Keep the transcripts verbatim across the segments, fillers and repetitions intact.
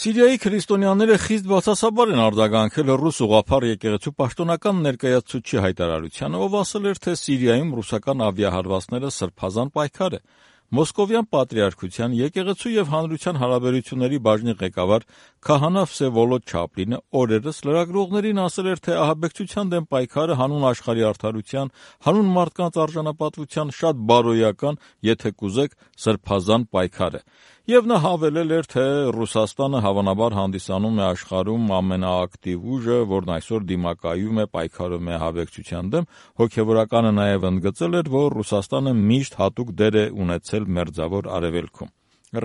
Սիրիայի քրիստոնյաները խիստ բացասաբար են արձագանքել ռուս ուղղափառ եկեղեցու պաշտոնական ներկայացուցչի հայտարարությանը, ով ասել էր, թե Սիրիայում ռուսական ավիահարվածները սրբազան պայքար է։ Մոսկովյան պատրիարքության եկեղեցու եւ հանրության հարաբերությունների բաժնի ղեկավար քահանա Վսևոլոդ Չապլինը օրերս լրագրողներին ասել էր, թե ահաբեկչության դեմ պայքարը հանուն աշխարհի արդարության, հանուն մարդկանց արժանապատվության շատ բարոյական, եթե կուզեք, սրբազան պայքար է։ Եվ նա հավելել էր, թե Ռուսաստանը հավանաբար հանդիսանում է աշխարհում ամենաակտիվ ուժը, որն այսօր դիմակայում է պայքարում է ահաբեկչության դեմ։ Հոգևորականը նաև ընդգծել էր, որ Ռուսաստանը միշտ հատուկ դեր է ունեցել Մերձավոր Արևելքում։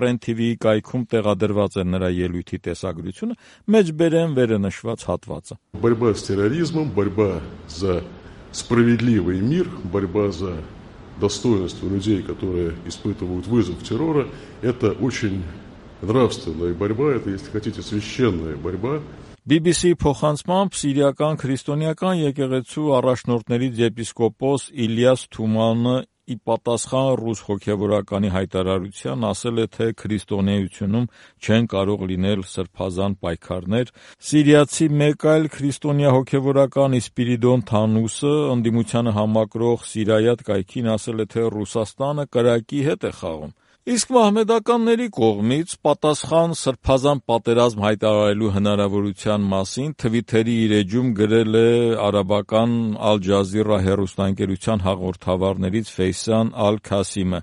Ռեն թի վիի կայքում տեղադրված է նրա ելույթի տեսագրությունը, մեջբերեմ վերը նշված հատվածը։ Борьба с терроризмом, борьба за справедливый мир, борьба за достоинство людей, которые испытывают вызов террора, это очень нравственная борьба, это, если хотите, священная борьба. բի բի սի փոխանցմամբ սիրիական քրիստոնեական եկեղեցու առաջնորդներից եպիսկոպոս Իլիաս Թումանը ի պատասխան ռուս հոգևորականի հայտարարության ասել է, թե քրիստոնեությունում չեն կարող լինել սրբազան պայքարներ։ Սիրիացի մեկ այլ քրիստոնյա հոգևորական Իսպիրիդոն Թանուսը ընդդիմությանը համակրող Սիրայատ կայքին ասել է, թե Ռուսաստանը կրակի հետ է խաղում։ Իսկ մահմեդականների կողմից պատասխան սրբազան պատերազմ հայտարարելու հնարավորության մասին Թվիթերի իր էջում գրել է արաբական Ալ Ջազիրա հեռուստաընկերության հաղորդավարներից Ֆեյսան Ալ-Քասիմը։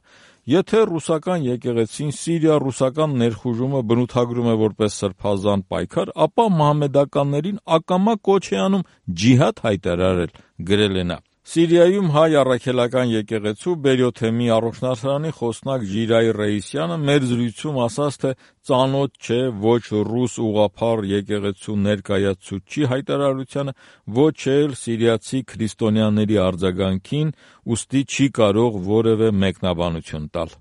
Եթե ռուսական եկեղեցին Սիրիա-ռուսական ներխուժումը բնութագրում է որպես սրբազան պայքար, ապա մահմեդականներին ակամա կոչ է անում ջիհադ հայտարարել, գրել է նա։ Սիրիայում հայ առաքելական եկեղեցու Բերյոթեմի առողջնարդարանի խոսնակ Ժիրայ Ռեյսյանը մեր զրույցում ասաց, թե ծանոթ չէ ոչ ռուս ուղղափառ եկեղեցու ներկայացուցչի հայտարարությանը, ոչ էլ սիրիացի քրիստոնյաների արձագանքին, ուստի չի կարող որևէ մեկնաբանություն տալ։